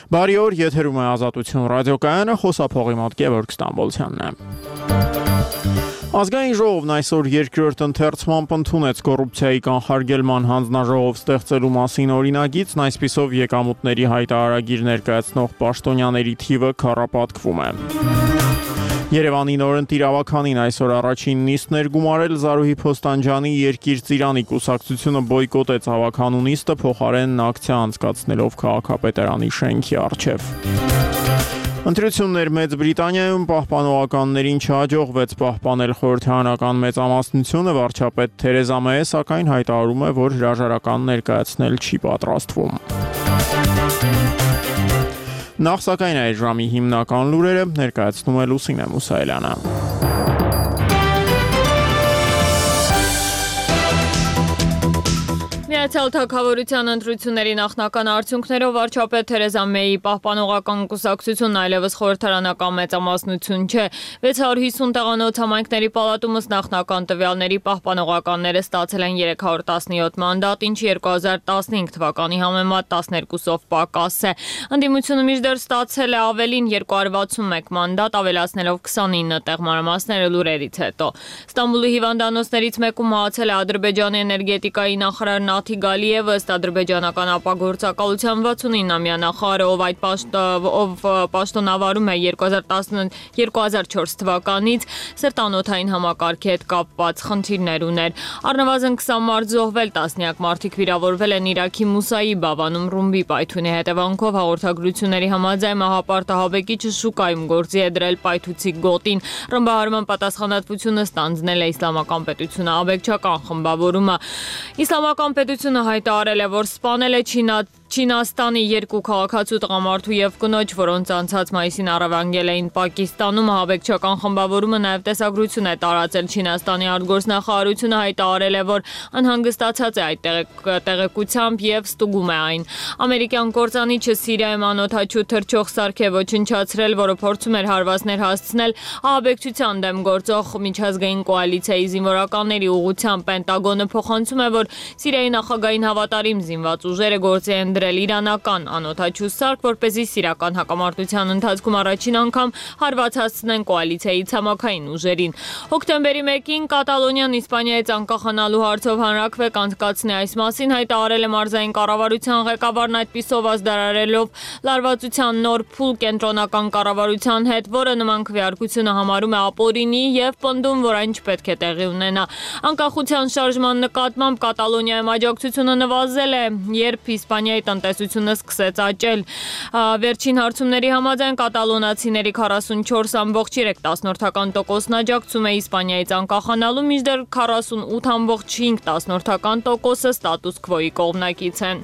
Բարի օր, եթերում է Ազատություն ռադիոկայանը, խոսափողի մոտ Գևորգ Ստամբոլցյանն է։ Ազգային ժողովն այսօր երկրորդ ընթերցմամբ ընդունեց կոռուպցիայի կանխարգելման հանձնաժողով ստեղծելու մասին օրինագիծն, այսպիսով եկամուտների հայտարարագիր ներկայացնող պաշտոնյաների թիվը քառապատկվում է։ Երևանի նորընտիր ավականին այսօր առաջին նիստն էր գումարել Զարուհի Փոստանջյանի Երկիր ծիրանի կուսակցությունը բոյկոտեց ավականու նիստը, փոխարենն ակցիա անցկացնելով քաղաքապետարանի շենքի առջև։ Ընտրություններ Մեծ Բրիտանիայում պահպանողականներին չհաջողվեց պահպանել խորհրդարանական մեծամասնությունը, վարչապետ Թերեզա Մեյը սակայն հայտարարում է, որ հրաժարական ներկայացնել չի պատրաստվում։ Նախ սակայն այդ ժամի հիմնական լուրերը ներկայացնում է Լուսինե Մուսայելյանը։ Միացյալ Թագավորության ընտրությունների նախնական արդյունքներով վարչապետ Թերեզա Մեյի պահպանողական կուսակցությունն այլևս խորհրդարանական մեծամասնություն չէ։ 650 տեղանոց համայնքների պալատում ըստ նախնական տվյալների պահպանողականները ստացել են 317 մանդատ, ինչը 2015 թվականի համեմատ 12-ով պակաս է։ Ընդդիմությունը մինչդեռ ստացել է ավելին 261 մանդատ, ավելացնելով 29 տեղ մանրամասները լուրերից հետո։ Ստամբուլի հիվանդանոցներից մեկում մահացել է Ադրբեջանի էներգետիկայի նախարար Նաթի Գալիևը, ըստ ադրբեջանական ապագործակալության 69-ամյա նախարարը, ով պաշտոնավարում է 2004 թվականից, սրտանոթային համակարգի հետ կապված խնդիրներ ուներ։ Առնվազն 20 մարդ զոհվել, տասնյակ մարդիկ վիրավորվել են Իրաքի Մուսայի Բավանում ռումբի պայթյունի հետևանքով։ Հաղորդագրությունների համաձայն մահապարտահաբեկիչը շուկայում գործի է դրել պայթուցի գոտին։ Ռմբահարման պատասխանատվությունը ստանձնել է Իսլամական պետությունը աբեկչական խմբավորումը։ Իսլամական պետությունը հայտարարել է, որ սպանել է Չինաստանի երկու քաղաքացու տղամարդու եւ կնոջ, որոնց անցած մայիսին առավանգել էին Պակիստանում։ Ահաբեկչական խմբավորումը նաև տեսագրություն է տարածել Չինաստանի արտգործնախարարությունը հայտարարել է, որ անհանգստացած է այդ տեղեկությամբ եւ ստուգում է այն։ Ամերիկյան կործանիչը Սիրիայում անօդաչու թռչող սարք է ոչնչացրել, որը փորձում էր հարվածներ հասցնել ահաբեկչության դեմ գործող միջազգային կոալիցիայի զինվորականների ուղղությամբ։ Պենտագոնը փոխանցում է, որ Սիրիայի նախագահային հավատարիմ զինված ուժերը գործի են դրել իրանական անօդաչու սարք, որպեսզի սիրիական հակամարտության ընթացքում առաջին անգամ հարված հասցնեն կոալիցիայի ցամաքային ուժերին։ Հոկտեմբերի 1-ին Կատալոնիան Իսպանիայից անկախանալու հարցով հանրաքվե կանցկացնի այս մասին հայտարարել է մարզային կառավարության ղեկավարն, այդպիսով ազդարարելով լարվածության նոր փուլ կենտրոնական կառավարության հետ, որը նման քվեարկությունը համարում է ապօրինի եւ պնդում, որ այն չպետք է տեղի ունենա։ Անկախության շարժման նկատմամբ Կատալոնիայում աջակցությունը նվազել է, երբ Իսպանիայի տնտեսությունը սկսեց աճել։ Վերջին հարցումների համաձայն կատալոնացիների 44.3%-ն աջակցում է Իսպանիայից անկախանալու, մինչդեռ 48.5%-ը ստատուս քվոյի կողմնակից են։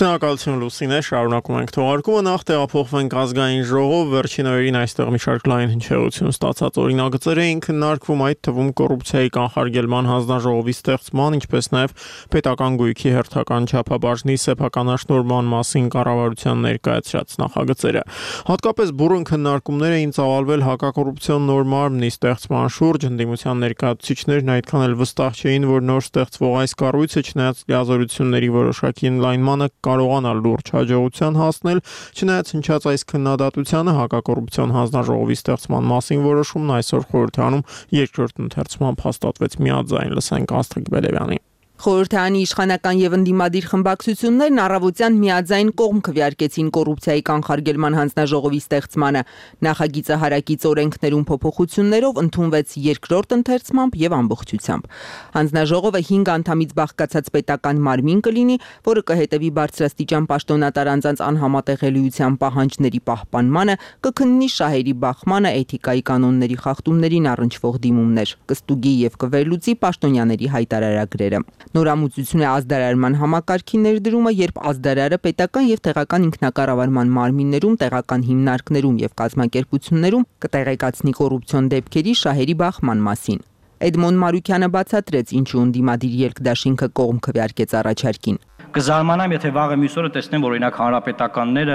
Շնորհակալություն Լուսինե, շարունակում ենք թողարկումը, նախ տեղափոխվենք ազգային ժողով, վերջին օրերին այստեղ մի շարք լայն հնչեղություն ստացած օրինագծեր էին քննարկվում, այդ թվում կոռուպցիայի կանխարգելման հանձնաժողովի ստեղծման, ինչպես նաև պետական գույքի հերթական չափաբաժնի սեփականաշնորհման մասին կառավարության ներկայացրած նախագծերը։ Հատկապես բուռն քննարկումներ էին ծավալվել հակակոռուպցիոն նոր մարմնի ստեղծման շուրջ, ընդդիմության ներկայացուցիչներն այդքան էլ վստահ չէին, որ նոր ստեղծվող այս կառույցը չնայած լիազորությունների որոշակի ընդլայնմանը կարողանալ լուրջ հաջողության հասնել, չնայած հնչած այս քննադատությանը հակակոռուպցիոն հանձնաժողովի ստեղծման մասին որոշումն այսօր խորհրդարանում երկրորդ ընթերցմամբ հաստատվեց միաձայն, լսենք Աստղիկ Բելևյանի։ Խորհրդարանի իշխանական եւ ընդդիմադիր խմբակցություններն առավոտյան միաձայն կողմ քվեարկեցին կոռուպցիայի կանխարգելման հանձնաժողովի ստեղծմանը։ Նախագիծը հարակից օրենքներում փոփոխություններով ընդունվեց երկրորդ ընթերցմամբ եւ ամբողջությամբ։ Հանձնաժողովը 5 անդամից բաղկացած պետական մարմին կլինի, որը կհետևի բարձրաստիճան պաշտոնատար անձանց անհամատեղելիության պահանջների պահպանմանը, կքննի շահերի բախմանը, էթիկայի կանոնների խախտումներին առնչվող դիմումներ, կստուգի եւ կվերլուծի պաշտոնյաների հայտարարագրերը։ Նորամուծություն է ազդարարման համակարգի ներդրումը, երբ ազդարարը պետական եւ տեղական ինքնակառավարման մարմիններում, տեղական հիմնարկներում եւ կազմակերպություններում կտեղեկացնի կոռուպցիոն դեպքերի շահերի բախման մասին։ Էդմոն Մարուկյանը բացատրեց, ինչու ընդդիմադիր երկդաշինքը կողմ քվեարկեց առաջարկին։ Կզարմանամ, եթե վաղը մյուս օրը տեսնեմ, որ օրինակ հանրապետականները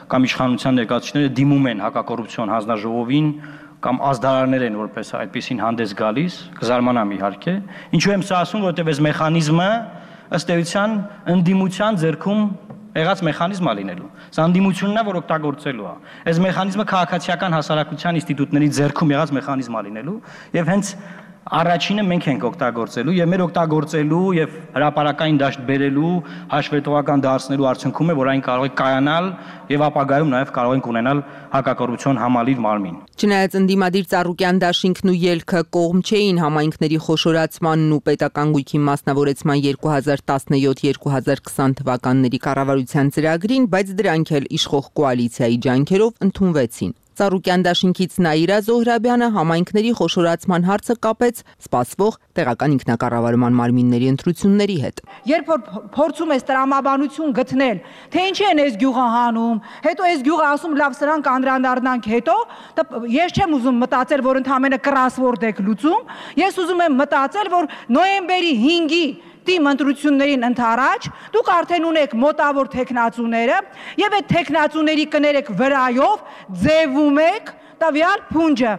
կամ իշխանության ներկայացուցիչները դիմում են հակակոռուպցիոն հանձնաժողովին կամ ազդարարներ են որպես այդպեսին հանդես գալիս, կզարմանամ իհարկե։ Ինչու եմ սա ասում, որովհետև այս մեխանիզմը ըստ էության ընդդիմության ձեռքում եղած մեխանիզմ է լինելու։ Սա ընդդիմությունն է, որ օգտագործելու է։ Այս մեխանիզմը քաղաքացիական հասարակության ինստիտուտների ձեռքում եղած մեխանիզմ է լինելու եւ հենց առաջինը մենք ենք օգտագործելու եւ մեր օգտագործելու եւ հրապարակային դաշտ բերելու հաշվետվական դարձնելու արդյունքում է, որ այն կարող է կայանալ եւ ապագայում նաեւ կարող ենք ունենալ հակակոռուպցիոն համալիր մարմին։ Չնայած ընդդիմադիր Ծառուկյան դաշինքն ու ելքը կողմ չէին համայնքների խոշորացմանն ու պետական գույքի մասնավորեցման 2017-2020 թվականների կառավարության ծրագրին, բայց դրանք էլ իշխող կոալիցիայի ջանքերով ընդունվեցին։ Ծառուկյան դաշինքից Նաիրա Զոհրաբյանը համայնքների խոշորացման հարցը կապեց սպասվող տեղական ինքնակառավարման մարմինների ընտրությունների հետ։ Երբ որ փորձում ես տրամաբանություն գտնել, թե ինչի են այս գյուղը հանում, հետո այս գյուղը ասում լավ սրանք անդրադառնանք հետո, ես չեմ ուզում մտածել, որ ընդհանրապես կրասվորդ եք լուծում, ես ուզում եմ մտածել, որ նոյեմբերի 5-ի Տիմ ընտրություններին ընդառաջ դուք արդեն ունեք մոտավոր տեխնացուները եւ այդ տեխնացուների կներեք վրայով ձևում եք տվյալ փունջը։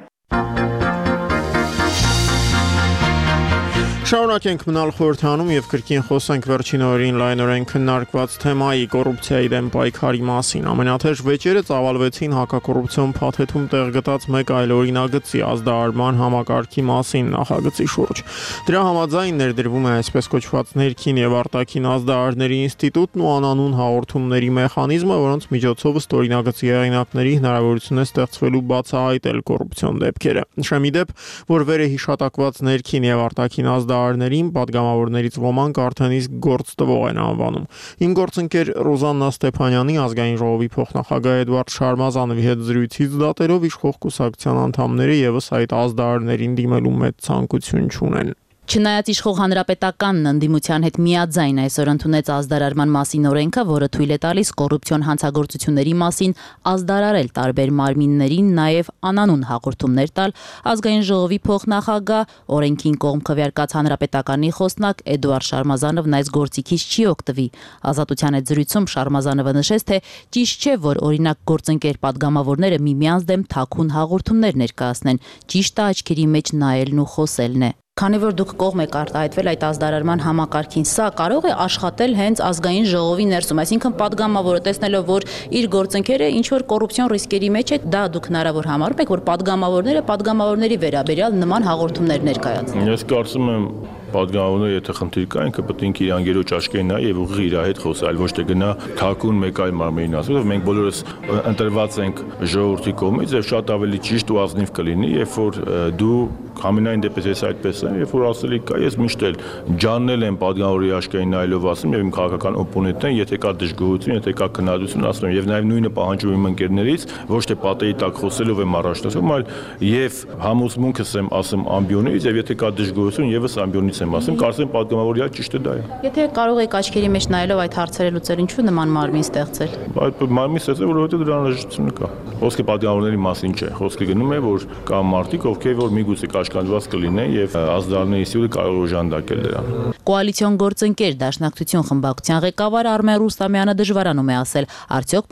Շարունակենք մնալ խորհրդանում եւ կրկին խոսենք վերջին օրերին լայնորեն քննարկված թեմայի կոռուպցիայի դեմ պայքարի մասին։ Ամենաթեժ վեճերը ծավալվեցին հակակոռուպցիոն փաթեթում տեղ գտած մեկ այլ օրինագծի ազդարարման համակարգի մասին նախագծի շուրջ։ Դրա համաձայն ներդրվում է այսպես կոչված ներքին եւ արտաքին ազդարարների ինստիտուտն ու անանուն հաղորդումների մեխանիզմը, որոնց միջոցով ըստ օրինագծի հեղինակների հնարավորություն է ստեղծվելու բացահայտել կոռուպցիոն դեպքերը։ Նշեմ ի դեպ, որ վերը հիշատակված ներքին եւ արտաքին ազդարարներին պատգամավորներից ոմանք արդեն իսկ գործ տվող են անվանում։ Իմ գործընկեր Ռոզաննա Ստեփանյանի ազգային ժողովի փոխնախագահ Էդվարդ Շարմազանովի հետ զրույցից դատերով իշխող կուսակցության անդամները եւս այդ ազդարարներին դիմելու մեծ ցանկություն չունեն։ Չնայած իշխող հանրապետականն ընդդիմության հետ միաձայն այսօր ընդունեց ազդարարման մասին օրենքը, որը թույլ է տալիս կոռուպցիոն հանցագործությունների մասին ազդարարել տարբեր մարմիններին, նաև անանուն հաղորդումներ տալ, ազգային ժողովի փոխնախագահ, օրենքին կողմ քվեարկած հանրապետականի խոսնակ Էդուարդ Շարմազանովն այս գործիքից չի օգտվի։ Ազատության հետ զրույցում Շարմազանովը նշեց, թե ճիշտ չէ, որ օրինակ գործընկեր պատգամավորները միմյանց դեմ թաքուն հաղորդումներ ներկայացնեն, ճիշտը աչքերի մեջ նայելն ու խոսելն է։ Քանի որ դուք կողմ եք արտահայտվել այդ ազդարարման համակարգին, սա կարող է աշխատել հենց ազգային ժողովի ներսում, այսինքն պատգամավորը տեսնելով, որ իր գործընկերը ինչ որ կոռուպցիոն ռիսկերի մեջ է, դա դուք հնարավոր համարում եք, որ պատգամավորները պատգամավորների վերաբերյալ նման հաղորդումներ ներկայացնեն։ Ես կարծում եմ պատգամավորները եթե խնդիր կա, ինքը պետք է իր անգերոջ աչքերին նայ եւ ուղիղ իր հետ խոսի, այլ ոչ թե գնա թաքուն մեկ այլ մարմնին ասի, որ մենք բոլորս ընտրված ենք ժողովրդի կողմից եւ շատ ավելի ճիշտ ու ազնիվ կլինի, երբ որ դու համենայն դեպս ես այդպես եմ, երբ որ ասելիք կա, ես միշտ էլ ջաննել եմ պատգամավորի աչքերին նայելով ասում եւ իմ քաղաքական օպոնենտին, եթե կա դժգոհություն, եթե կա քննադատություն, ասում եմ եւ նաեւ նույնը պահանջում եմ ընկերներից, ոչ թե պատերի տակ խոսելով եմ առաջնորդում, այլ եւ համոզմունքս եմ ասում ամբիոնից եւ եթե կա դժգոհություն եւս ամբիոնից եմ ասում, կարծեմ պատգամավորի ճիշտը դա է։ Եթե կարող եք աչքերի մեջ նայելով այդ հարցերը լուծել, ինչու նման մարմին ստեղծել։ Այդ մարմին ստեղծել, որովհետեւ դրա անհրաժեշտությունը կա։ Խոսքը պատգամավորների մասին չէ, խոսքը գնում է, որ կա մարդիկ, ովքեր որ միգուցե կաշկանդված կլինեն եւ ազդարարների ինստիտուտը կարող է օժանդակել դրան։ Կոալիցիոն գործընկեր Դաշնակցություն խմբակցության ղեկավար Արմեն Ռուստամյանը դժվարանում է ասել, արդյոք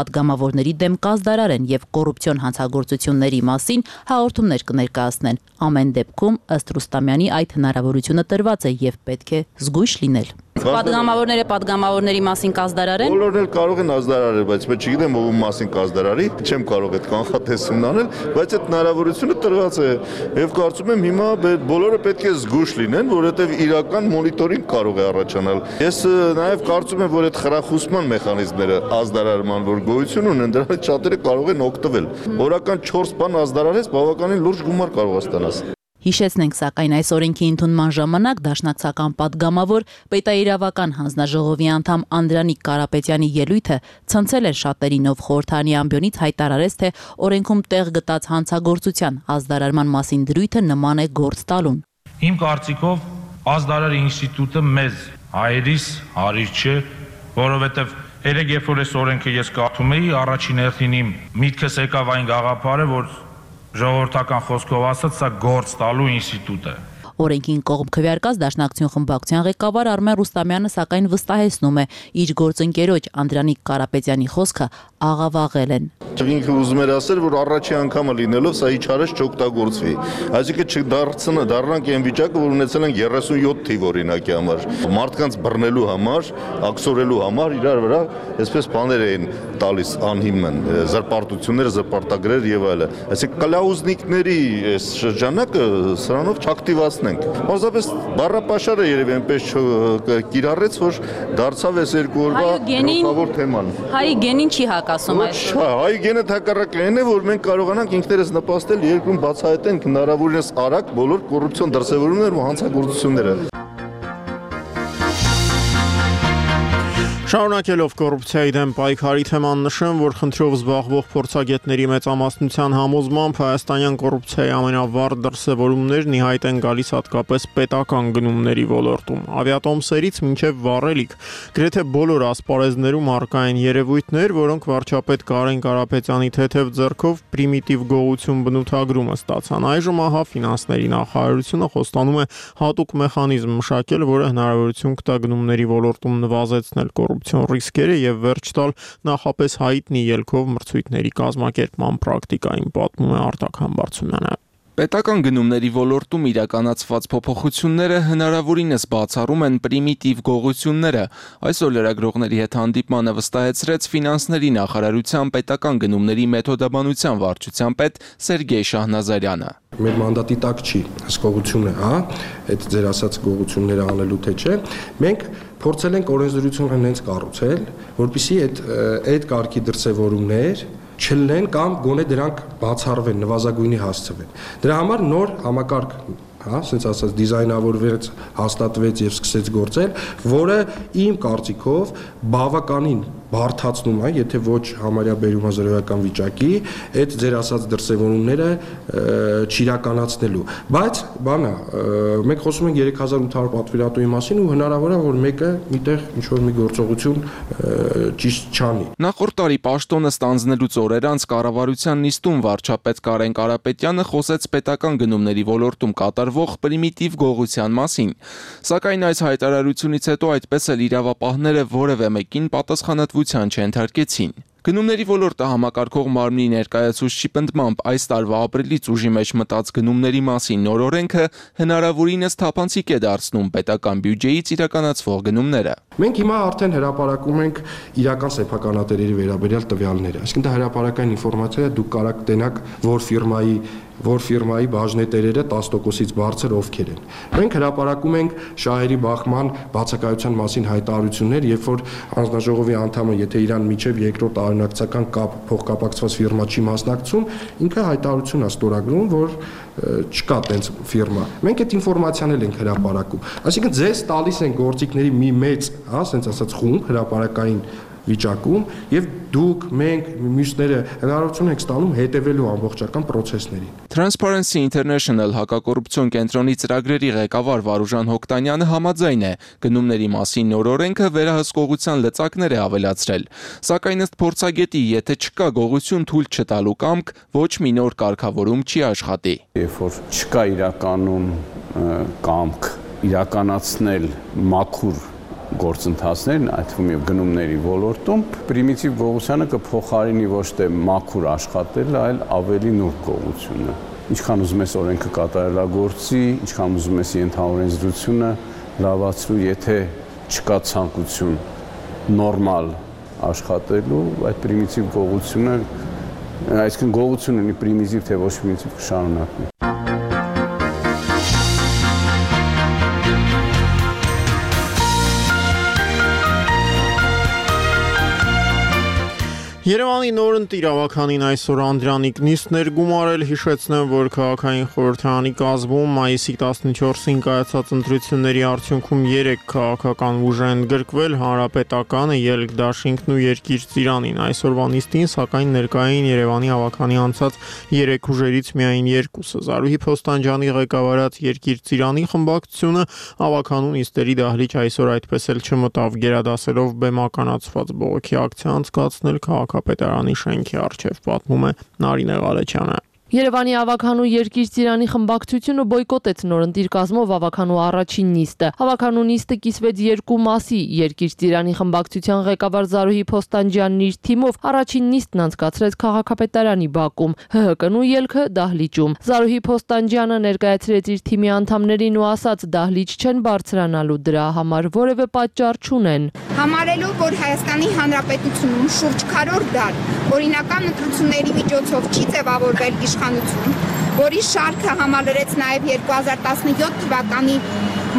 պատգամավորների դեմ կազդարարեն եւ կոռուպցիոն հանցագործությունների մասին հաղորդումներ կներկայացնեն։ Ամեն դեպքում ըստ Ռուստամյանի այդ հնարավորությունը տրված է եւ պետք է զգույշ լինել։ Պատգամավորները պատգամավորների մասին կազդարարեն։ Բոլորն էլ կարող են ազդարարել, բայց ես չգիտեմ ով մասին կազդարարի, չեմ կարող այդ կանխատեսումն անել, բայց այդ հնարավորությունը տրված է եւ կարծում եմ հիմա բոլորը պետք է զգույշ լինեն, որովհետեւ իրական մոնիտորինգ կարող է առաջանալ։ Ես նաեւ կարծում եմ, որ այդ խրախուսման մեխանիզմները ազդարարման որ գոյություն ունեն, դրանից շատերը կարող են օգտվել։ Օրական 4 բան ազդարարես բավականին լուրջ գումար կարող ստանաս։ Հիշեցնենք, սակայն այս օրենքի ընդունման ժամանակ դաշնակցական պատգամավոր պետաիրավական հանձնաժողովի անդամ Անդրանիկ Կարապետյանի ելույթը ցնցել էր շատերին, ով խորհրդանի ամբիոնից հայտարարեց, թե օրենքում տեղ գտած հանցագործության ազդարարման մասին դրույթը նման է գործ տալուն։ Իմ կարծիքով ազդարար ինստիտուտը մեզ հայերիս հարիր չէ, որովհետև երեք երբ որ այս օրենքը ես կարդում էի, առաջին հերթին իմ միտքս եկավ այն գաղափարը, որ ժողովրդական խոսքով ասած, սա գործ տալու ինստիտուտ է։ Օրենքին կողմ քվեարկած Դաշնակցություն խմբակցության ղեկավար Արմեն Ռուստամյանը սակայն վստահեցնում է, իր գործընկերոջ Անդրանիկ Կարապետյանի խոսքը աղավաղել են։ Ինքը ուզում էր ասել, որ առաջի անգամը լինելով սա իջարես չօգտագործվի։ Այսինքն չդառնանք այն վիճակը, որ ունեցել ենք 37 թիվ օրինակի համար։ Մարդկանց բռնելու համար, աքսորելու համար իրար վրա այսպես բաներ էին տալիս անհիմն, զրպարտություններ, զրպարտագրեր եւ այլն։ Այսինքն կլաուզնիկների այս շրջանակը սրանով չակտիվացնենք։ Պարզապես բառապաշարը երևի այնպես կիրառեց, որ դարձավ այս երկու օրվա գլխավոր թեման։ Հայի գենին չի հակասում այս։ Հայի գենը թակարակն է, որ մենք կարողանանք ինքներս նպաստել երկրում բացահայտենք հնարավորինս արագ բոլոր կոռուպցիոն դրսևորումներն ու հանցագործությունները։ Շարունակելով կոռուպցիայի դեմ պայքարի թեման նշեմ, որ խնդրով զբաղվող փորձագետների մեծամասնության համոզմամբ հայաստանյան կոռուպցիայի ամենավառ դրսևորումներն ի հայտ են գալիս հատկապես պետական գնումների ոլորտում։ Ավիատոմսերից մինչև վառելիք, գրեթե բոլոր ասպարեզներում առկա են երևույթներ, որոնք վարչապետ Կարեն Կարապետյանի թեթև ձեռքով պրիմիտիվ գողություն բնութագրումը ստացան։ Այժմ ահա ֆինանսների նախարարությունը խոստանում է հատուկ մեխանիզմ մշակել, որը հնարավորություն կտա գնումների ոլորտում նվազեցնել կոռուպցիոն ռիսկերը եւ վերջ տալ նախապես հայտնի ելքով մրցույթների կազմակերպման պրակտիկային, պատմում է Արտակ Համբարձումյանը։ Պետական գնումների ոլորտում իրականացված փոփոխությունները հնարավորինս բացառում են պրիմիտիվ գողությունները, այսօր լրագրողների հետ հանդիպմանը վստահեցրեց ֆինանսների նախարարության պետական գնումների մեթոդաբանության վարչության պետ Սերգեյ Շահնազարյանը։ Մեր մանդատի տակ չի հսկողությունը, այդ ձեր ասած գողությունները անելու թե չէ, մենք փորձել ենք օրենսդրությունը հենց կառուցել, որպեսզի այդ կարգի դրսևորումներ չլինեն կամ գոնե դրանք բացառվեն, նվազագույնի հասցվեն։ Դրա համար նոր համակարգ, ասենց ասած դիզայնավորվեց, հաստատվեց եւ սկսեց գործել, որը իմ կարծիքով բավականին բարդացնում է, եթե ոչ համարյա բերում է զրոյական վիճակի, այդ ձեր ասած դրսևորումները չիրականացնելու։ Բայց բանը, մենք խոսում ենք 3800 պատվիրատուի մասին ու հնարավոր է, որ մեկը միտեղ ինչ-որ մի գործողություն ճիշտ չանի։ Նախորդ տարի պաշտոնը ստանձնելուց օրեր անց կառավարության նիստում վարչապետ Կարեն Կարապետյանը խոսեց պետական գնումների ոլորտում կատարվող պրիմիտիվ գողության մասին։ Սակայն այս հայտարարությունից հետո այդպես էլ իրավապահները որևէ մեկին պատասխանատվության չենթարկեցին։ Գնումների ոլորտը համակարգող մարմնի ներկայացուցչի պնդմամբ այս տարվա ապրիլից ուժի մեջ մտած գնումների մասին նոր օրենքը հնարավորինս թափանցիկ է դարձնում պետական բյուջեից իրականացվող գնումները։ Մենք հիմա արդեն հրապարակում ենք իրական սեփականատերերի վերաբերյալ տվյալները։ Այսինքն դա հրապարակային ինֆորմացիա է, դուք կարաք տենաք որ ֆիրմայի բաժնետերերը 10%-ից բարձր ովքեր են։ Մենք հրապարակում ենք շահերի բախման բացակայության մասին հայտարարություններ, երբ որ հանձնաժողովի անդամը, եթե իրան միջև երկրորդ արժանացական կապ փոխկապակցված ֆիրմա չի մասնակցում, ինքը հայտարարություն է ստորագրում, որ չկա տենց ֆիրմա։ Մենք այդ ինֆորմացիան էլ ենք հրապարակում։ Այսինքն ձեզ տալիս են գործիքների մի մեծ, ասենց ասած խումբ հրապարակային վիճակում եւ դուք մենք մյուսները հնարավորություն ենք ստանում հետևելու ամբողջական process-ներին։ Transparency International հակակոռուպցիոն կենտրոնի ծրագրերի ղեկավար Վարուժան Հոկտանյանը համաձայն է, գնումների մասին նոր օրենքը վերահսկողության լծակներ է ավելացրել։ Սակայն ըստ փորձագետի, եթե չկա գողություն թույլ չտալու կամք, ոչ մի նոր կարգավորում չի աշխատի։ Երբ որ չկա իրականում կամք իրականացնել մաքուր գործընթացներն, այդ թվում եւ գնումների ոլորտում, պրիմիտիվ գողությանը կփոխարինի ոչ թե մաքուր աշխատելը, այլ ավելի նուրբ գողությունը։ Ինչքան ուզում ես օրենքը կատարելագործի, ինչքան ուզում ես ենթաօրենսդրությունը լավացրու, եթե չկա ցանկություն նորմալ աշխատելու, այդ պրիմիտիվ գողությունը, այսինքն գողությունը ունի պրիմիտիվ թե ոչ պրիմիտիվ կշարունակվի։ Երևանի նորընտիր ավականին այսօր Անդրանիկ նիստներ գումարել, հիշեցնեմ, որ քաղաքային խորհրդարանի կազմում մայիսի 14-ին կայացած ընտրությունների արդյունքում 3 քաղաքական ուժ են գրկվել՝ Հանրապետականը, Ելք դաշինքն ու Երկիր ծիրանին։ Այսօրվա նիստին սակայն ներկային Երևանի ավականի անցած 3 ուժերից միայն 2-ը։ Զարուհի Փոստանջյանի ղեկավարած Երկիր ծիրանի խմբակցությունը ավականու նիստերի դահլիճ այսօր այդպես էլ չմտավ, գերադասելով բեմականացված բողոքի ակցիա անցկացնել քաղաքապետարանի շենքի առջև, պատմում է Նարինե Ղալեչյանը։ Երևանի ավականու երկիր ծիրանի խմբակցությունը բոյկոտեց նորընտիր կազմով ավականու առաջին նիստը։ Ավականու նիստը կիսվեց երկու մասի։ Երկիր ծիրանի խմբակցության ղեկավար Զարուհի Փոստանջյանն իր թիմով առաջին նիստն անցկացրեց քաղաքապետարանի բակում, ՀՀԿ-նու ելքը դահլիճում։ Զարուհի Փոստանջյանը ներկայացրեց իր թիմի անդամներին ու ասաց՝ դահլիճ չեն բարձրանալու, դրա համար որևէ պատճառ չունեն։ Համարելով, որ Հայաստանի Հանրապետությունում շուրջ քառորդ դար օրինական ընտրությունների միջոցով չի ձևավորվել իշխանություն, որի շարքը համալրեց նաև 2017 թվականի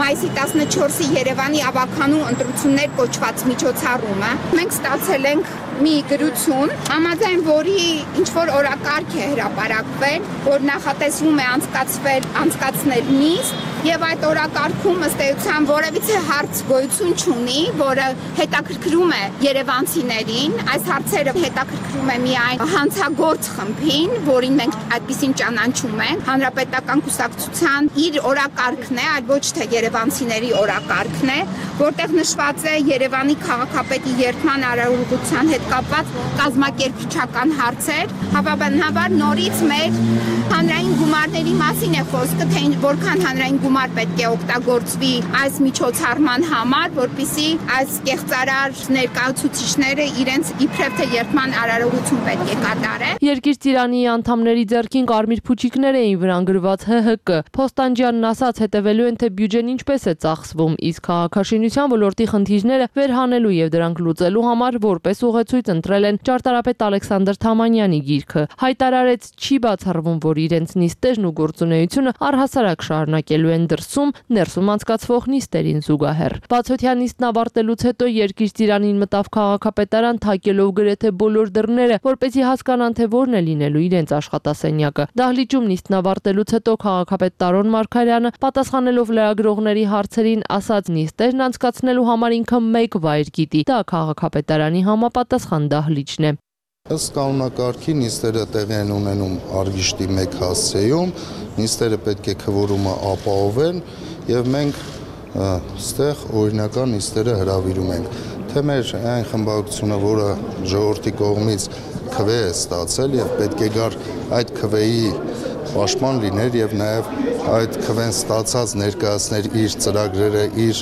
մայիսի 14-ի Երևանի ավականու ընտրություններ կոչված միջոցառումը, մենք ստացել ենք մի գրություն, համաձայն որի ինչ-որ օրակարգ է հրապարակվել, որ նախատեսվում է անցկացնել նիստ, եւ այդ օրակարգում ըստ էության որևիցե հարց գոյություն չունի, որը հետաքրքրում է երևանցիներին, այս հարցերը հետաքրքրում է միայն հանցագործ խմբին, որին մենք այդպեսին ճանաչում ենք, հանրապետական կուսակցության իր օրակարգն է, այլ ոչ թե երևանցիների օրակարգն է, որտեղ նշված է Երևանի քաղաքապետի երդման արարողության հետ կապված կազմակերպչական հարցեր, հավանաբար նորից մեր հանրային գումարների մասին է խոսքը, թե որքան հանրային գումար պետք է օգտագործվի այս միջոցառման համար, որպեսզի այս կեղծարար ներկայացուցիչները իրենց իբրև թե երդման արարողություն պետք է կատարեն։ Երկիր ծիրանի անդամների ձեռքին կարմիր փուչիկներ էին վրանգրված ՀՀԿ։ Փոստանջյանն ասաց, հետևելու են, թե բյուջեն ինչպես է ծախսվում, իսկ քաղաքաշինության ոլորտի խնդիրները վերհանելու եւ դրանք լուծելու համար որպես ուղեցույց ընտրել են ճարտարապետ Ալեքսանդր Թամանյանի գիրքը։ Հայտարարեց, չի բացառվում, որ իրենց նիստերն ու գործունեությունը առհասարակ շարունակելու են դրսում, ներսում անցկացվող նիստերին զուգահեռ։ Բացօթյա նիստն ավարտելուց հետո Երկիր ծիրանին մտավ քաղաքապետարան, թակելով գրեթե բոլոր դռները, որպեսզի հասկանան, թե որն է լինելու իրենց աշխատասենյակը։ Դահլիճում նիստն ավարտելուց հետո քաղաքապետ Տարոն Մարգարյանը, պատասխանելով լրագրողների հարցերին, ասաց, նիստերն անցկացնելու համար ինքը մեկ վայր գիտի, դա քաղաքապետարանի համապատասխան դահլիճն է։ Ըստ կանոնակարգի նիստերը տեղի են ունենում Արգիշտի 1 հասցեում, նիստերը պետք է քվորումը ապահովեն եւ մենք ստեղ օրինական նիստերը հրավիրում ենք։ Թե մեր այն խմբակցությունը, որը ժողովրդի կողմից քվե է ստացել եւ պետք է գար այդ քվեի պաշտպան լիներ եւ նաեւ այդ քվեն ստացած ներկայացներ իր ծրագրերը, իր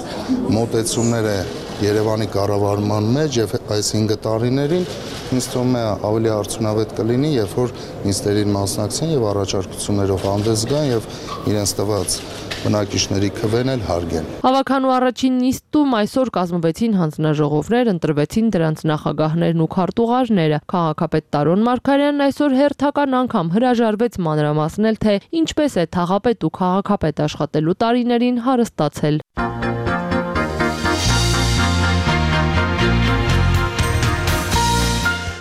մոտեցումները Երևանի կառավարման մեջ եւ այս 5 տարիներին ինձ թվում է ավելի արդյունավետ կլինի, երբ որ նիստերին մասնակցեն եւ առաջարկություններով հանդես գան եւ իրենց տված բնակիչների քվեն էլ հարգեն։ Ավականու առաջին նիստում այսօր կազմվեցին հանձնաժողովներ, ընտրվեցին դրանց նախագահներն ու քարտուղարները։ Քաղաքապետ Տարոն Մարգարյանն այսօր հերթական անգամ հրաժարվեց մանրամասնել, թե ինչպես է թաղապետ ու քաղաքապետ աշխատելու տարիներին հարստացել։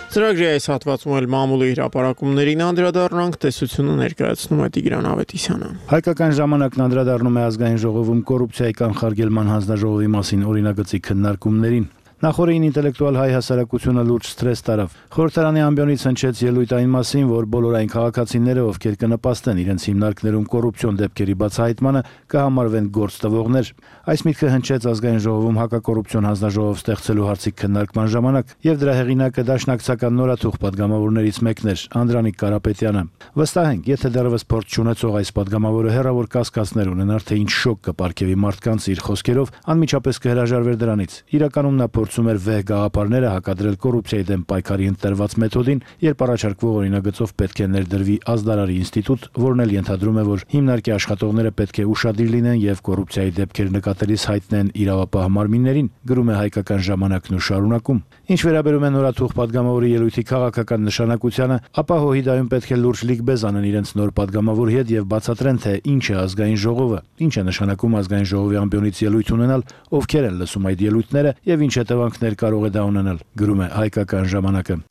Ծրագրի այս հատվածում էլ մամուլի հրապարակումներին անդրադառնանք, տեսությունը ներկայացնում է Տիգրան Ավետիսյանը։ Հայկական ժամանակն անդրադառնում է ազգային ժողովում կոռուպցիայի կանխարգելման հանձնաժողովի մասին օրինագծի քննարկումներին։ Նախորդին ինտելեկտուալ հայ հասարակությունը լուրջ սթրես տարավ։ Խորհրդարանի ամբիոնից հնչեց ելույթ այն մասին, որ բոլոր այն քաղաքացիները, ովքեր կնպաստեն իրենց հիմնարկներում կոռուպցիոն դեպքերի բացահայտմանը, կհամարվեն գործ տվողներ։ Այս միտքը հնչեց ազգային ժողովում հակակոռուպցիոն հանձնաժողով ստեղծելու հարցի քննարկման ժամանակ, եւ դրա հեղինակը դաշնակցական նորաթուխ падգամավորներից մեկն էր Անդրանիկ Կարապետյանը։ Վստահ ենք, եթե դեռևս փորձ չունեցող այս падգամավորը հերավոր կասկածներ ունենար, թե ինչ շոկ կպարգևի մարդկանց իր խոսքերով, անմիջապես կհրաժարվեր դրանից։ Իրականում նա փորձում էր վեհ գաղափարները հակադրել կոռուպցիայի դեմ պայքարի ընտրված մեթոդին, երբ առաջարկվող օրինագծով պետք է ներդրվի ազդարարի ինստիտուտ, որն էլ ենթադրում է, որ հիմնարկի աշխատողները պետք է ուշադիր լինեն եւ կոռուպցիայի դեպքեր նկատելիս հայտնեն իրավապահ մարմիններին, գրում է Հայկական ժամանակն ու շարունակում։ Ինչ վերաբերում է նորաթուխ падգամավորի ելույթի քաղաքական նշանակությանը, ապա ՀՅԴ-ում պետք է լուրջ լիգբեզ անեն իրենց նոր падգամավորի հետ եւ բացատրեն, թե ինչ է ազգային ժողովը, ինչ է նշանակում ազգային ժողովի ամբիոնից ելույթ ունենալ, ովքեր են լսում այդ ելույթները եւ ինչ հետևանքներ կարող է դա ունենալ, գրում է Հայկական ժամանակը։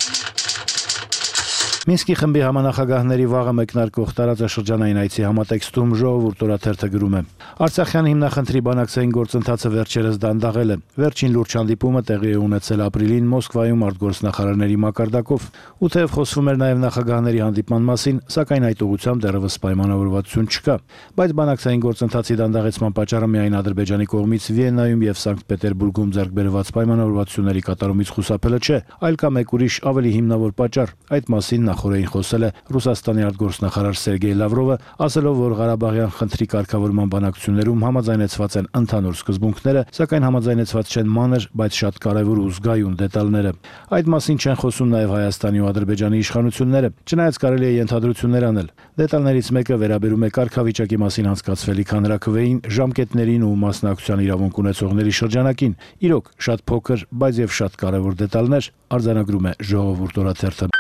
Մինսկի խմբի համանախագահների վաղը մեկնարկող տարածաշրջանային այցի համատեքստում Ժողովուրդ օրաթերթը գրում է. Արցախյան հիմնախնդրի բանակցային գործընթացը վերջերս դանդաղել է։ Վերջին լուրջ հանդիպումը տեղի է ունեցել ապրիլին Մոսկվայում արտգործնախարարների մակարդակով, ու թեև խոսվում էր նաև նախագահների հանդիպման մասին, սակայն այդ ուղղությամբ դեռևս պայմանավորվածություն չկա։ Բայց բանակցային գործընթացի դանդաղեցման պատճառը միայն Ադրբեջանի կողմից Վիեննայում եւ Սանկտ Պետերբուրգում ձեռք բերված պայմանավորվածությունների կատարումից խուսափելը չէ, այլ կա մեկ ուրիշ ավելի հիմնավոր պատճառ։ Այդ մասին նախորդին խոսել է Ռուսաստանի արտգործնախարար Սերգեյ Լավրովը, ասելով, որ Ղարաբաղյան խնդրի կարգավորման բանակցություններում համաձայնեցված են ընդհանուր սկզբունքները, սակայն համաձայնեցված չեն մանր, բայց շատ կարևոր ու զգայուն դետալները։ Այդ մասին չեն խոսում նաև Հայաստանի ու Ադրբեջանի իշխանությունները, չնայած կարելի է ենթադրություններ անել։ Դետալներից մեկը վերաբերում է կարգավիճակի մասին անցկացվելիք հանրաքվեին, ժամկետներին ու մասնակցության իրավունք ունեցողների շրջանակին։ Իրոք, շատ փոքր, բայց եւ շատ կարևոր դետալներ, արձանագրում է Ժողովուրդ օրաթերթը։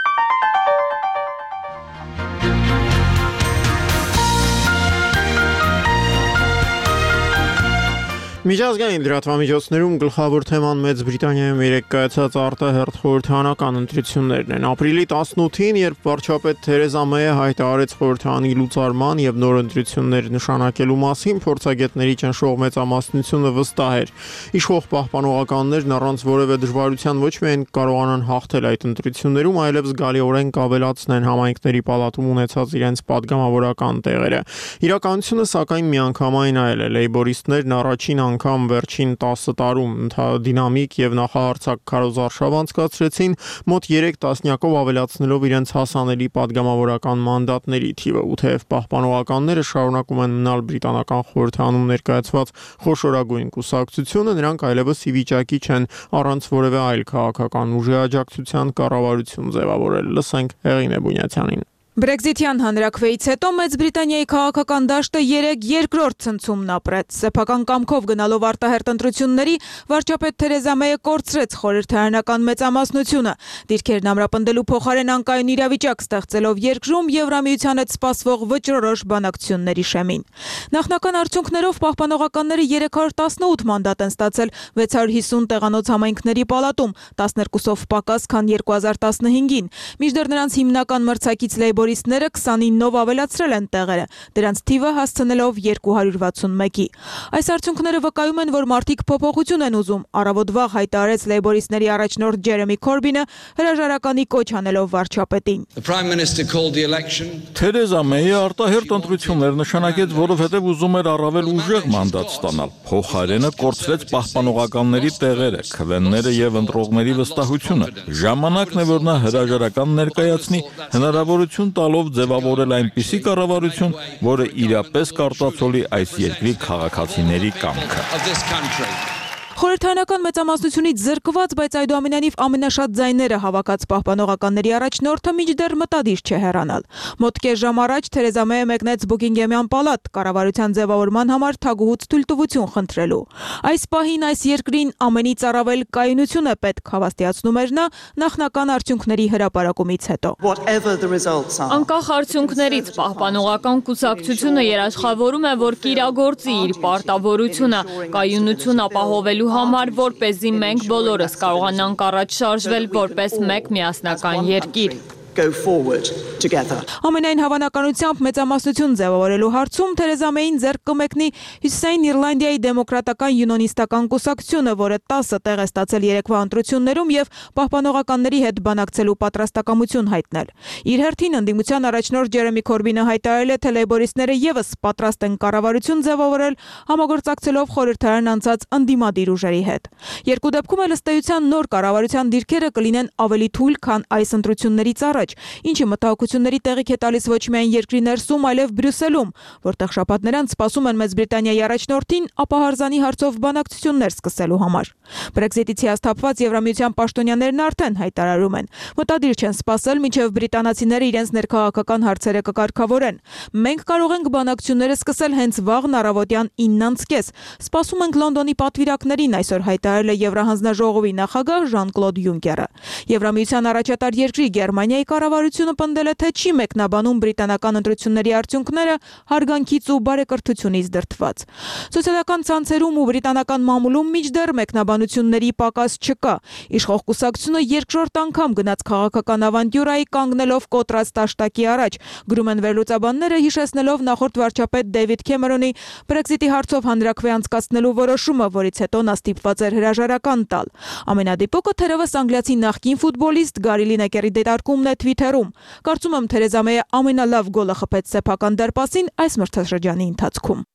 Միջազգային լրատվամիջոցներում գլխավոր թեման Մեծ Բրիտանիայում երեկ կայացած արտահերթ խորհրդարանական ընտրություններն են։ Ապրիլի 18-ին, երբ վարչապետ Թերեզա Մեյը հայտարարեց խորհրդարանի լուծարման եւ նոր ընտրություններ նշանակելու մասին, փորձագետների ճնշող մեծամասնությունը վստահ էր։ Իշխող պահպանողականներն առանց որևէ դժվարության ոչ միայն կարողանան հաղթել այդ ընտրություններում, այլև զգալիորեն կավելացնեն համայնքների պալատում ունեցած իրենց падգամավորական տեղերը։ Իրականությունը սակայն միանգամայն այլ է։ Լեյբորիստներն առաջին անգամ վերջին 10 տարում դինամիկ եւ նախահարցակ քարոզարշավ անցկացրեցին, մոտ 3 տասնյակով ավելացնելով իրենց հասանելի падգամավորական մանդատների թիվը, ու թեև պահպանողականները շարունակում են մնալ բրիտանական խորհրդանում ներկայացված խոշորագույն կուսակցությունը, նրանք այլևս ի վիճակի չեն առանց որևէ այլ քաղաքական ուժի աջակցության կառավարություն ձևավորել։ Լսենք Հեղինե Բունյացյանին։ Բրեքզիթյան հանրաքվեից հետո Մեծ Բրիտանիայի քաղաքական դաշտը երեք երկրորդ ցնցումն ապրեց։ Սեփական կամքով գնալով արտահերթ ընտրությունների, վարչապետ Թերեզա Մեյը կորցրեց խորհրդարանական մեծամասնությունը, դիրքերն ամրապնդելու փոխարեն անկայուն իրավիճակ ստեղծելով երկրում Եվրամիության հետ սպասվող վճռորոշ բանակցությունների շեմին։ Նախնական արդյունքներով պահպանողականները 318 մանդատ են ստացել 650 տեղանոց համայնքների պալատում, 12-ով պակաս, քան 2015-ին։ Մինչդեռ նրանց հիմնական մրցակից լեյբորիստները 29-ով ավելացրել են տեղերը, դրանց թիվը հասցնելով 261-ի։ Այս արդյունքները վկայում են, որ մարդիկ փոփոխություն են ուզում, առավոտ վաղ հայտարարեց լեյբորիստների առաջնորդ Ջերեմի Քորբինը, հրաժարականի կոչ անելով վարչապետին։ Թերեզա Մեյը արտահերթ ընտրություններ նշանակեց, որովհետև ուզում էր առավել ուժեղ մանդատ ստանալ։ Փոխարենը կորցրեց պահպանողականների տեղերը, քվենները եւ ընտրողների վստահությունը։ Ժամանակն է, որ նա հրաժարական ներկայացնի, հնարավորություն տալով ձևավորել այնպիսի կառավարություն, որը իրապես կարտացոլի այս երկրի քաղաքացիների կամքը։ Խորհրդարանական մեծամասնությունից զրկված, բայց այդուամենայնիվ ամենաշատ ձայները հավաքած պահպանողականների առաջնորդը մինչդեռ մտադիր չէ հեռանալ։ Մոտ կես ժամ առաջ Թերեզա Մեյը մեկնեց Բուքինգեմյան պալատ կառավարության ձևավորման համար թագուհուց թույլտվություն խնդրելու։ Այս պահին այս երկրին ամենից առավել կայունություն է պետք, հավաստիացնում էր նա նախնական արդյունքների հրապարակումից հետո։ Անկախ արդյունքներից պահպանողական կուսակցությունը երաշխավորում է, որ կիրագործի իր պարտավորությունը, կայունություն ապահովելու համար, որպեսզի մենք բոլորս կարողանանք առաջ շարժվել որպես մեկ միասնական երկիր։ Ամենայն հավանականությամբ մեծամասնություն ձևավորելու հարցում Թերեզա Մեյին ձեռք կմեկնի Հյուսիսային Իռլանդիայի դեմոկրատական յունոնիստական կուսակցությունը, որը 10 տեղ է ստացել երեկվա ընտրություններում եւ պահպանողականների հետ բանակցելու պատրաստակամություն հայտնել։ Իր հերթին ընդդիմության առաջնորդ Ջերեմի Քորբինը հայտարարել է, թե լեյբորիստները եւս պատրաստ են կառավարություն ձևավորել, համագործակցելով խորհրդարան անցած ընդդիմադիր ուժերի հետ։ Երկու դեպքում էլ ըստ էության նոր կառավարության դիրքերը կլինեն ավելի թույլ, քան այս ընտրություններից առաջ, ինչը մտահոգությունների տեղիք է տալիս ոչ միայն երկրի ներսում, այլև Բրյուսելում, որտեղ շաբաթներ անց սպասում են Մեծ Բրիտանիայի առաջնորդին ապահարզանի հարցով բանակցություններ սկսելու համար։ Բրեքզիտից հիասթափված Եվրամիության պաշտոնյաներն արդեն հայտարարում են, մտադիր չեն սպասել, մինչև բրիտանացիները իրենց ներքաղաքական հարցերը կկարգավորեն։ Մենք կարող ենք բանակցությունները սկսել հենց վաղն առավոտյան 9:30։ Սպասում ենք Լոնդոնի պատվիրակներին, այսօր հայտարարել է Եվրահանձնաժողովի նախագահ Ժան-Կլոդ Յունկերը։ Եվրամիության առաջատար երկրի Գերմանիայի կառավարությունը պնդել է, թե չի մեկնաբանում բրիտանական ընտրությունների արդյունքները հարգանքից ու բարեկրթությունից դրդված։ Սոցիալական ցանցերում ու բրիտանական մամուլում մինչդեռ մեկնաբանությունների պակաս չկա։ Իշխող կուսակցությունը երկրորդ անգամ գնաց քաղաքական ավանտյուրայի կանգնելով կոտրած տաշտակի առաջ, գրում են վերլուծաբանները, հիշեցնելով նախորդ վարչապետ Դեյվիդ Քեմերոնի Բրեքզիտի հարցով հանրաքվե անցկացնելու որոշումը, որից հետո նա ստիպված էր հրաժարական տալ։ Ամենադիպուկը թերևս անգլիացի նախկին ֆուտբոլիստ Գարի Լինեկերի դիտարկումն է Twitter-ում։ Կարծում եմ Թերեզա Մեյը ամենալավ գոլը խփեց սեփական դարպասին այս մրցաշրջանի ընթացքում։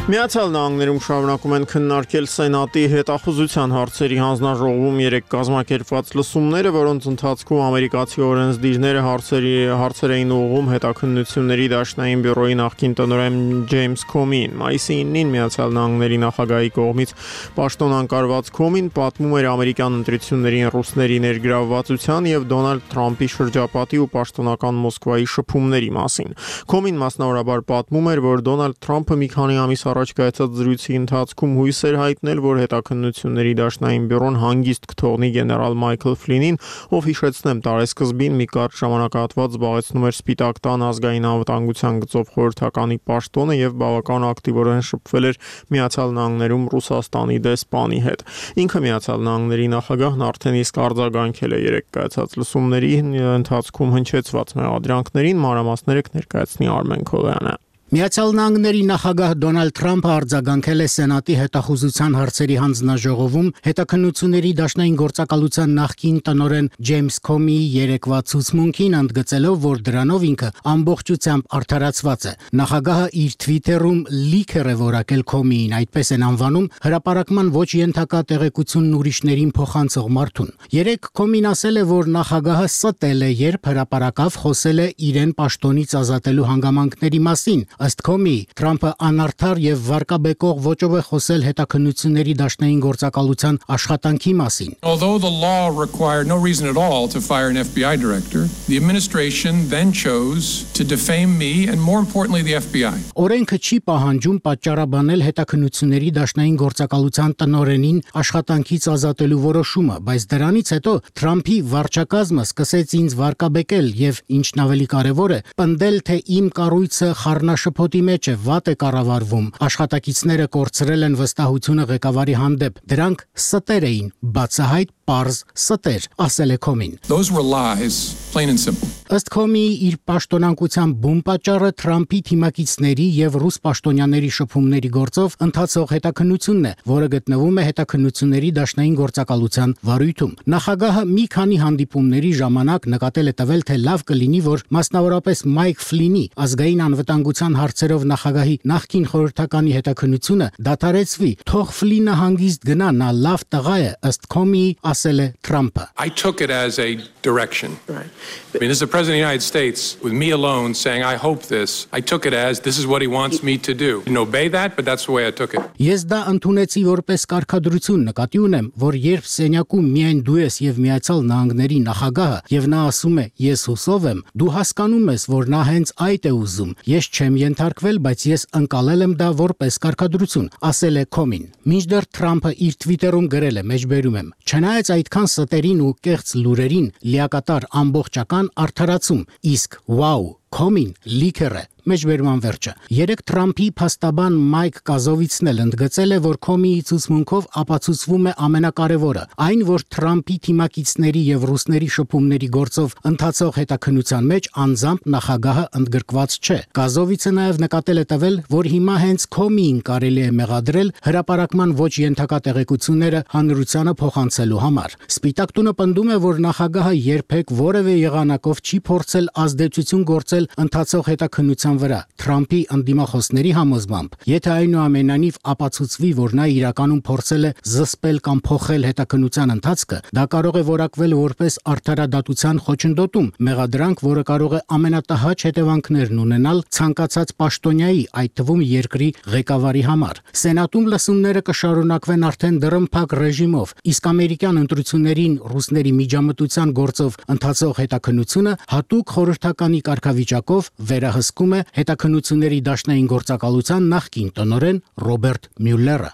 Միացյալ Նահանգներում շարունակում են քննարկել Սենատի հետախուզության հարցերի հանձնաժողովում 3 կազմակերպված լսումները, որոնց ընթացքում ամերիկացի օրենսդիրները հարցեր էին ուղղում հետաքննությունների դաշնային բյուրոյի նախկին տնօրեն Ջեյմս Քոմին։ Մայիսի 9-ին Միացյալ Նահանգների նախագահի կողմից պաշտոնանկարված Քոմին պատմում էր ամերիկյան ընտրություններին ռուսների ներգրավվածության եւ Դոնալդ Թրամփի շրջապատի ու պաշտոնական Մոսկվայի շփումների մասին։ Քոմին մասնավորաբար պատմում էր, որ Դոնալդ Թրամփը մի քանի ամիս առաջ կայացած զրույցի ընթացքում հույս էր հայտնել, որ հետաքննությունների դաշնային բյուրոն հանգիստ կթողնի գեներալ Մայքլ Ֆլինին, ով հիշեցնեմ տարեսկզբին մի կարճ ժամանակահատված զբաղեցնում էր Սպիտակ տան ազգային անվտանգության գծով խորհրդականի պաշտոնը եւ բավական ակտիվորեն շփվել էր Միացյալ Նահանգներում Ռուսաստանի դեսպանի հետ։ Ինքը Միացյալ Նահանգների նախագահն արդեն իսկ արձագանքել է 3 կայացած լսումների ընթացքում հնչեցված մեղադրանքներին, մանրամասները կներկայացնի Արմեն Քոլյանը։ Միացյալ Նահանգների նախագահ Դոնալդ Թրամփը արձագանքել է Սենատի հետախուզության հարցերի հանձնաժողովում հետաքննությունների դաշնային գործակալության նախկին տնօրեն Ջեյմս Քոմիի երեկվա ցուցմունքին, ընդգծելով, որ դրանով ինքը ամբողջությամբ արդարացված է։ Նախագահը իր Twitter-ում լիքեր է որակել Քոմիին, այդպես են անվանում հրապարակման ոչ ենթակա տեղեկությունն ուրիշներին փոխանցող մարդուն։ Երեք Քոմին ասել է, որ նախագահը ստել է, երբ հրապարակավ խոսել է իրեն պաշտոնից ազատելու հանգամանքների մասին։ Ըստ Քոմի, Թրամփը անարդար եւ վարկաբեկող ոճով է խոսել հետաքննությունների դաշնային գործակալության աշխատանքի մասին։ Although the law required no reason at all to fire an FBI director, the administration then chose to defame me and more importantly the FBI. Օրենքը չի պահանջում պատճառաբանել հետաքննությունների դաշնային գործակալության տնօրենին աշխատանքից ազատելու որոշումը, բայց դրանից հետո Թրամփի վարչակազմը սկսեց ինձ վարկաբեկել եւ ինչն ավելի կարեւոր է, պնդել, թե իմ կառույցը խառնաշփոթի մեջ է, վատ է կառավարվում, աշխատակիցները կորցրել են վստահությունը ղեկավարի հանդեպ, դրանք ստեր էին, բացահայտ պարզ ստեր, ասել է Քոմին։ Those were lies, plain and simple. Ըստ Քոմիի իր պաշտոնանկության բում պատճառը Թրամփի թիմակիցների եւ ռուս պաշտոնյաների շփումների գործով ընթացող հետաքննությունն է, որը գտնվում է հետաքննությունների դաշնային գործակալության վարույթում։ Նախագահը մի քանի հանդիպումների ժամանակ նկատել է տվել, թե լավ կլինի, որ մասնավորապես Մայք Ֆլինի ազգային անվտանգության հարցերով նախագահի նախկին խորհրդականի հետաքննությունը դադարեցվի, թող Ֆլինը հանգիստ գնա, նա լավ տղա է, ըստ Քոմիի, ասել է Թրամփը։ I took it as a direction. Right. I mean, as the President of the United States, with me alone saying, I hope this, I took it as this is what he wants me to do. I didn't obey that, but that's the way I took it. Ես դա ընդունեցի որպես կարգադրություն, նկատի ունեմ, որ երբ սենյակում միայն դու ես եւ Միացյալ Նահանգների նախագահը, եւ նա ասում է, ես հուսով եմ, դու հասկանում ես, որ նա հենց այդ է ուզում։ Ես չեմ ենթարկվել, բայց ես ընկալել եմ դա որպես կարգադրություն, ասել է Քոմին։ Մինչդեռ Թրամփը իր Twitter-ում գրել է, մեջբերում եմ. Չնայած այդքան ստերին ու կեղծ լուրերին, լիակատար ամբողջական արդարացում, իսկ վաու, Քոմին լիքեր է, մեջբերման վերջը։ Երեք Թրամփի փաստաբան Մայք Կազովիցն էլ ընդգծել է, որ Քոմիի ցուցմունքով ապացուցվում է ամենակարևորը, այն, որ Թրամփի թիմակիցների եւ ռուսների շփումների գործով ընթացող հետաքննության մեջ անձամբ նախագահը ընդգրկված չէ։ Կազովիցը նաեւ նկատել է տվել, որ հիմա հենց Քոմիին կարելի է մեղադրել հրապարակման ոչ ենթակա տեղեկությունները հանրությանը փոխանցելու համար։ Սպիտակ տունը պնդում է, որ նախագահը երբեք որևէ եղանակով չի փորձել ազդեցություն գործել ընթացող հետաքննության վրա։ Թրամփի ընդդիմախոսների համոզմամբ, եթե այնուամենայնիվ ապացուցվի, որ նա իրականում փորձել է զսպել կամ փոխել հետաքննության ընթացքը, դա կարող է որակվել որպես արդարադատության խոչընդոտում, մեղադրանք, որը կարող է ամենատհաճ հետևանքներն ունենալ ցանկացած պաշտոնյայի, այդ թվում երկրի ղեկավարի համար։ Սենատում լսումները կշարունակվեն արդեն դռնփակ ռեժիմով, իսկ ամերիկյան ընտրություններին ռուսների միջամտության գործով ընթացող հետաքննությունը հատուկ խորհրդականի կարգավիճակով վերահսկում է հետաքննությունների դաշնային գործակալության նախկին տնօրեն Ռոբերտ Մյուլլերը։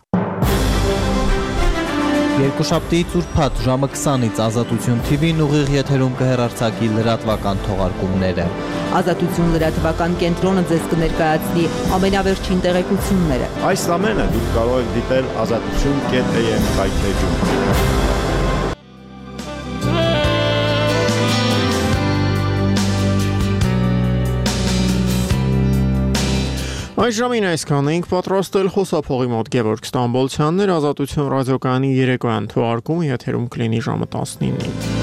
Երկուշաբթիից ուրբաթ ժամը 20-ից Ազատություն TV-ն ուղիղ եթերում կհեռարձակի լրատվական թողարկումները։ Ազատություն լրատվական կենտրոնը ձեզ կներկայացնի ամենավերջին տեղեկությունները։ Այս ամենը դուք կարող եք դիտել azatutun.am կայքէջում։ Այս ժամին այսքան էինք պատրաստել խոսափողի մոտ Գևորգ Ստամբոլցյաններ, Ազատություն ռադիոկայանի երեկոյան թողարկումը եթերում կլինի ժամը 19-ին։